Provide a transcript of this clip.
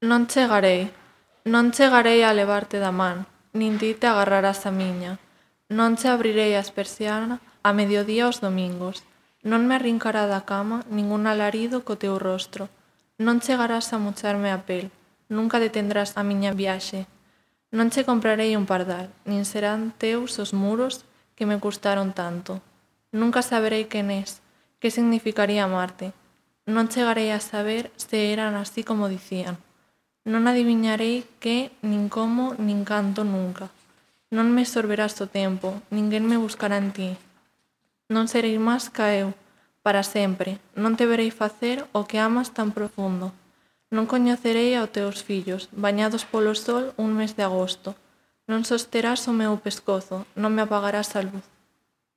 Non chegarei a levarte da man, nin ti te agarrarás a miña. Non che abrirei as persianas a mediodía os domingos. Non me arrincará da cama ningún alarido co teu rostro. Non chegarás a mocharme a pel. Nunca detendrás a miña viaxe. Non che comprarei un pardal, nin serán teus os muros que me custaron tanto. Nunca saberei quen és, que significaría amarte. Non chegarei a saber se eran así como dicían. Non adiviñarei que, nin como, nin canto nunca. Non me sorberás o tempo, ninguén me buscará en ti. Non serei máis ca eu, para sempre. Non te verei facer o que amas tan profundo. Non coñecerei aos teus fillos, bañados polo sol un mes de agosto. Non sosterás o meu pescozo, non me apagarás a luz.